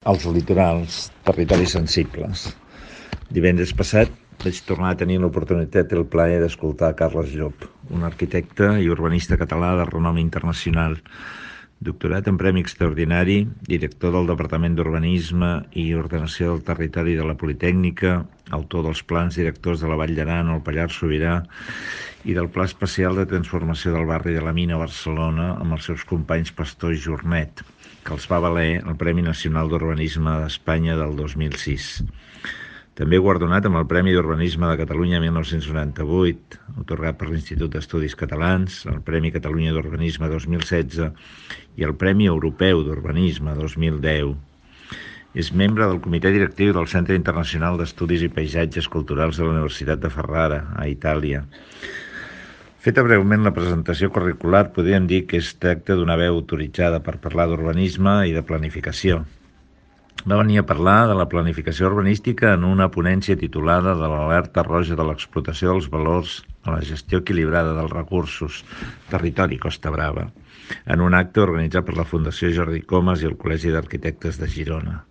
als litorals, territoris sensibles. Divendres passat vaig tornar a tenir l'oportunitat i el plaer d'escoltar Carles Llop, un arquitecte i urbanista català de renom internacional, doctorat en Premi Extraordinari, director del Departament d'Urbanisme i Ordenació del Territori de la Politècnica, autor dels plans directors de la Vall d'Aran o el Pallars Sobirà i del Pla Especial de Transformació del barri de la Mina a Barcelona amb els seus companys Pastor i Jornet, que els va valer el Premi Nacional d'Urbanisme d'Espanya del 2006. També guardonat amb el Premi d'Urbanisme de Catalunya 1998, atorgat per l'Institut d'Estudis Catalans, el Premi Catalunya d'Urbanisme 2016 i el Premi Europeu d'Urbanisme 2010. És membre del Comitè Directiu del Centre Internacional d'Estudis i Paisatges Culturals de la Universitat de Ferrara, a Itàlia. Feta breument la presentació curricular, podríem dir que es tracta d'una veu autoritzada per parlar d'urbanisme i de planificació. Va venir a parlar de la planificació urbanística en una ponència titulada de l'alerta roja de l'explotació dels valors a la gestió equilibrada dels recursos, territori Costa Brava, en un acte organitzat per la Fundació Jordi Comas i el Col·legi d'Arquitectes de Girona.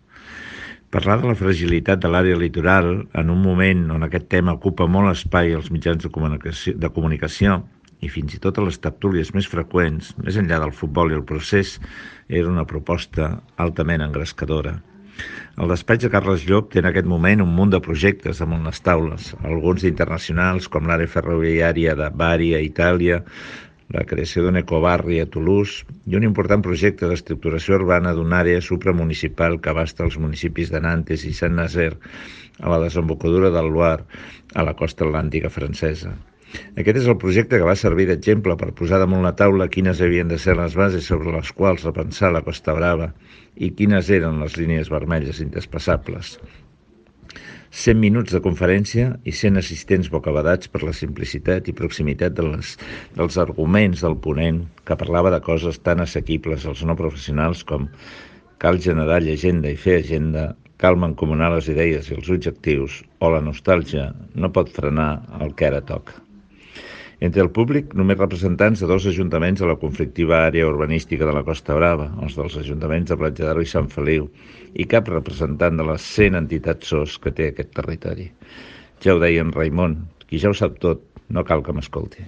Parlar de la fragilitat de l'àrea litoral en un moment on aquest tema ocupa molt espai als mitjans de comunicació i fins i tot a les tertúlies més freqüents, més enllà del futbol i el procés, era una proposta altament engrescadora. El despatx de Carles Llop té en aquest moment un munt de projectes damunt les taules, alguns internacionals com l'àrea ferroviària de Bari a Itàlia, la creació d'un ecobarri a Toulouse i un important projecte d'estructuració urbana d'una àrea supramunicipal que abasta els municipis de Nantes i Saint-Nazaire a la desembocadura del Loire, a la costa atlàntica francesa. Aquest és el projecte que va servir d'exemple per posar damunt la taula quines havien de ser les bases sobre les quals repensar la Costa Brava i quines eren les línies vermelles intraspassables. 100 minuts de conferència i 100 assistents bocabadats per la simplicitat i proximitat dels arguments del ponent, que parlava de coses tan assequibles als no professionals com cal generar llegenda i fer agenda, cal mancomunar les idees i els objectius, o la nostàlgia no pot frenar el que ara toca. Entre el públic, només representants de 2 ajuntaments de la conflictiva àrea urbanística de la Costa Brava, els dels ajuntaments de Platja d'Aro i Sant Feliu, i cap representant de les 100 entitats SOS que té aquest territori. Ja ho deia en Raimon, qui ja ho sap tot, no cal que m'escolti.